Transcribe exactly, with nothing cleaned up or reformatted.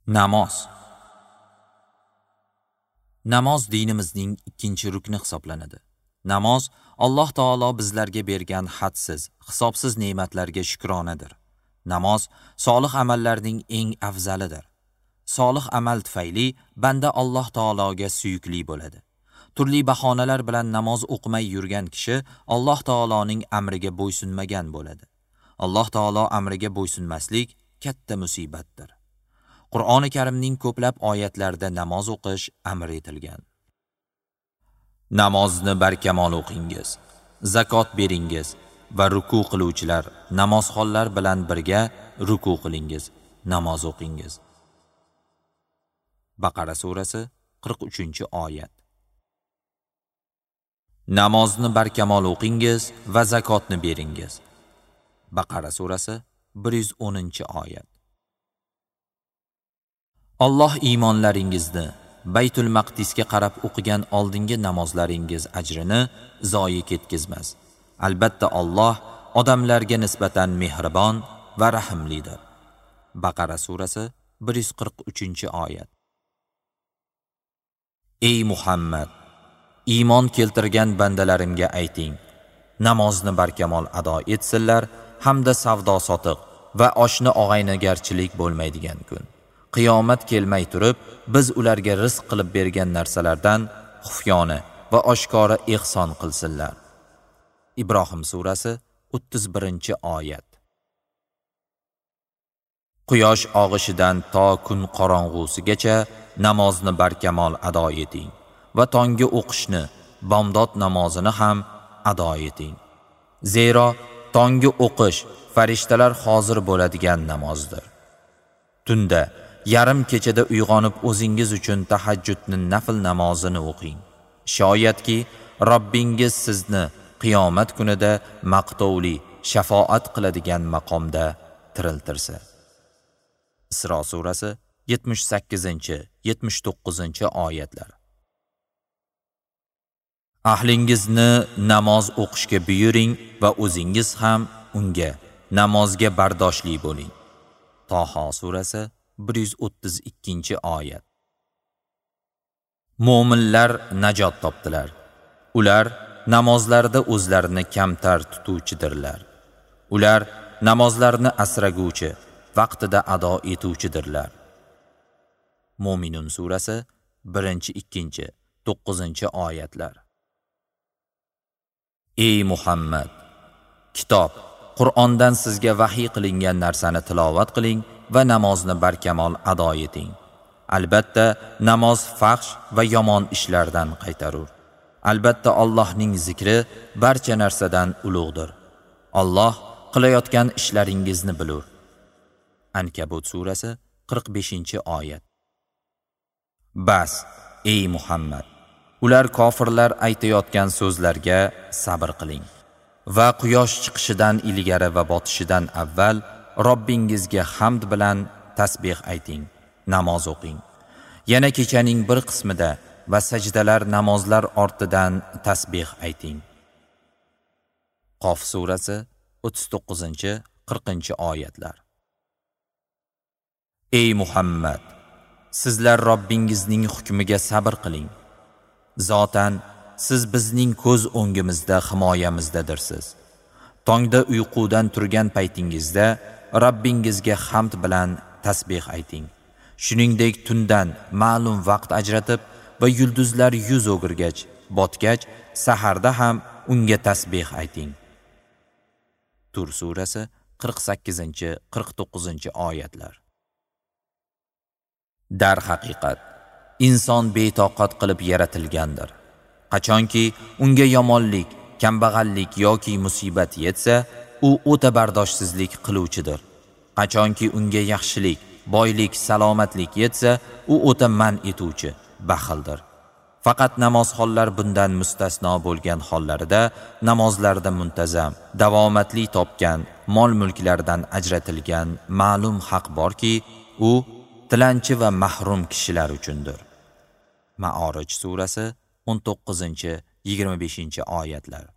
Namoz. Namoz dinimizning ikkinchi rukni hisoblanadi. Namoz Alloh taolo bizlarga bergan hadsiz, hisobsiz ne'matlarga shukronadir. Namoz solih amallarning eng afzalidir. Solih amal tufayli banda Alloh taologa suyukli bo'ladi. Turli bahonalar bilan namoz o'qimay yurgan kishi Alloh taoloning amriga bo'ysunmagan bo'ladi. Alloh taolo amriga bo'ysunmaslik katta musibatdir. Qur'oni Karimning ko'plab oyatlarida namoz o'qish amr etilgan. Namozni barkamol o'qingiz, zakot beringiz va ruku qiluvchilar namozxonlar bilan birga ruku qilingiz, namoz o'qingiz. Baqara surasi qirq uchinchi oyat. Namozni barkamol o'qingiz va zakotni beringiz. Baqara surasi bir yuz o'ninchi oyat. Alloh iymonlaringizni Baytul Maqdisga qarab o'qigan oldingi namozlaringiz ajrini zoyi ketkizmas. Albatta Alloh odamlarga nisbatan mehribon va rahimlidir. Baqara surasi bir yuz qirq uchinchi oyat. Ey Muhammad, iymon keltirgan bandalarimga ayting, namozni barkamol ado etsinlar hamda savdo sotiq va oshni og'aynigarchilik bo'lmaydigan kun. Qiyomat kelmay turib, biz ularga rizq qilib bergan narsalardan xufyona va oshkora ihson qilsinlar. Ibrohim surasi o'ttiz birinchi oyat. Quyosh og'ishidan to kun qorong'usigacha namozni barkamol ado eting va tonggi o'qishni, bomdod namozini ham ado eting. Zero tonggi o'qish farishtalar hozir bo'ladigan namozdir. Tunda yarim kechada uyg'onib o'zingiz uchun tahajjudni nafl namozini o'qing. Shoyatki Robbingiz sizni qiyomat kunida maqtovli, shafoat qiladigan maqomda tiriltirsa. Isro surasi yetmish sakkizinchi, yetmish to'qqizinchi oyatlar. Ahlingizni namoz o'qishga buyuring va o'zingiz ham unga, namozga bardoshli bo'ling. Taho surasi bir yuz o'ttiz ikkinchi oyat. Mo'minlar najot topdilar. Ular namozlarda o'zlarini kamtar tutuvchidirlar. Ular namozlarni asraguvchi, vaqtida ado etuvchidirlar. Mo'minun surasi birinchi, ikkinchi, to'qqizinchi oyatlar. Ey Muhammad, kitob, Qur'ondan sizga vahiy qilingan narsani tilovat qiling va namozni barkamol ado eting. Albatta, namoz fahsh va yomon ishlardan qaytarur. Albatta Allohning zikri barcha narsadan ulug'dir. Alloh qilayotgan ishlaringizni bilur. Ankabut surasi qirq beshinchi oyat. Bas, ey Muhammad, ular kofirlar aytayotgan so'zlarga sabr qiling va quyosh chiqishidan ilgari va botishidan avval Robbingizga hamd bilan tasbih ayting, namoz o'qing. Yana kechaning bir qismida va sajdalar namozlar ortidan tasbih ayting. Qof surasi o'ttiz to'qqizinchi, qirqinchi oyatlar. Ey Muhammad, sizlar Robbingizning hukmiga sabr qiling. Zotan siz bizning ko'z o'ngimizda, himoyamizdadirsiz. Tongda uyqudan turgan paytingizda Robbingizga hamd bilan tasbih ayting. Shuningdek tundan ma'lum vaqt ajratib va yulduzlar yuz o'girgach, botgach, saharda ham unga tasbih ayting. Tur surasi qirq sakkizinchi, qirq to'qqizinchi oyatlar. Darhaqiqat, inson betoqat qilib yaratilgandir. Qachonki unga yomonlik, kambag'allik yoki musibat yetsa, u o'ta bardoshsizlik qiluvchidir. Qachonki unga yaxshilik, boylik, salomatlik yetsa, u o'ta man etuvchi, baxildir. Faqat namozxonlar bundan mustasno bo'lgan hollarida namozlarda muntazam, davomatli topgan mol-mulklardan ajratilgan ma'lum haq borki, u tilanchi va mahrum kishilar uchundir. Ma'orij surasi o'n to'qqizinchi, yigirma beshinchi oyatlar.